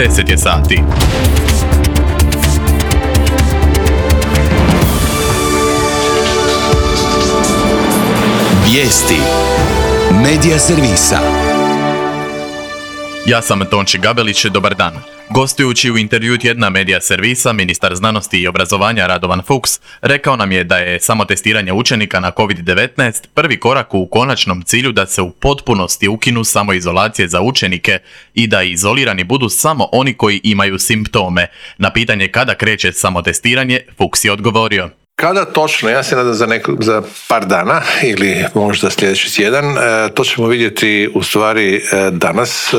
10 je sati. Vijesti Medija servisa. Ja sam Tonči Gabelić, dobar dan. Gostujući u intervju tjedna Medija servisa, ministar znanosti i obrazovanja Radovan Fuchs rekao nam je da je samotestiranje učenika na COVID-19 prvi korak u konačnom cilju da se u potpunosti ukinu samoizolacije za učenike i da izolirani budu samo oni koji imaju simptome. Na pitanje kada kreće samotestiranje, Fuchs je odgovorio: Kada točno, ja se nadam za par dana ili možda sljedeći tjedan, to ćemo vidjeti u stvari danas,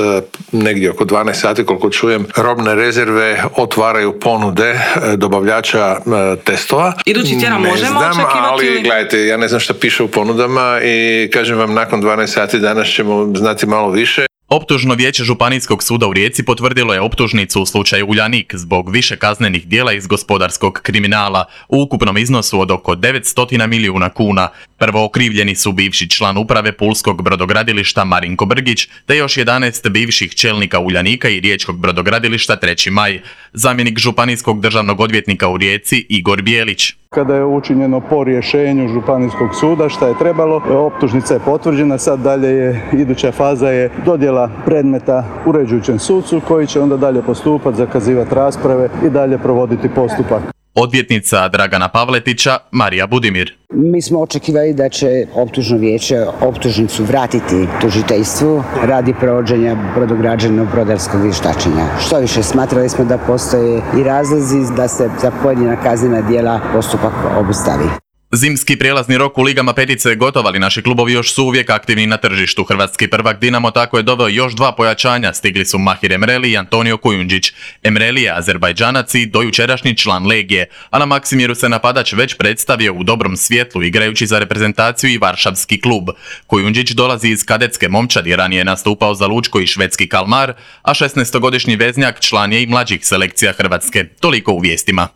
negdje oko 12 sati koliko čujem, robne rezerve otvaraju ponude dobavljača testova. Idući tjedan možemo očekivati? Ali gledajte, ja ne znam šta piše u ponudama i kažem vam, nakon 12 sati danas ćemo znati malo više. Optužno vijeće Županijskog suda u Rijeci potvrdilo je optužnicu u slučaju Uljanik zbog više kaznenih djela iz gospodarskog kriminala u ukupnom iznosu od oko 900 milijuna kuna. Prvo okrivljeni su bivši član uprave Pulskog brodogradilišta Marinko Brgić, te još 11 bivših čelnika Uljanika i Riječkog brodogradilišta 3. maj. Zamjenik županijskog državnog odvjetnika u Rijeci Igor Bijelić: Kada je učinjeno po rješenju Županijskog suda šta je trebalo, optužnica je potvrđena, sad dalje je, iduća faza je dodjela predmeta uređujućem sucu koji će onda dalje postupati, zakazivati rasprave i dalje provoditi postupak. Odvjetnica Dragana Pavletića Marija Budimir: Mi smo očekivali da će optužno vijeće optužnicu vratiti tužiteljstvu radi provođenja brodograđevnog brodarskog vještačenja. Što više, smatrali smo da postoje i razlozi da se za pojedina kaznena djela postupak obustavi. Zimski prijelazni rok u ligama petice je gotov, ali naši klubovi još su uvijek aktivni na tržištu. Hrvatski prvak Dinamo tako je doveo još 2 pojačanja. Stigli su Mahir Emreli i Antonio Kujundžić. Emreli je Azerbajdžanac i dojučerašnji član Legije, a na Maksimiru se napadač već predstavio u dobrom svjetlu igrajući za reprezentaciju i Varšavski klub. Kujundžić dolazi iz kadetske momčadi, ranije je nastupao za Lučko i švedski Kalmar, a 16-godišnji veznjak član je i mlađih selekcija Hrvatske. Toliko u vijestima.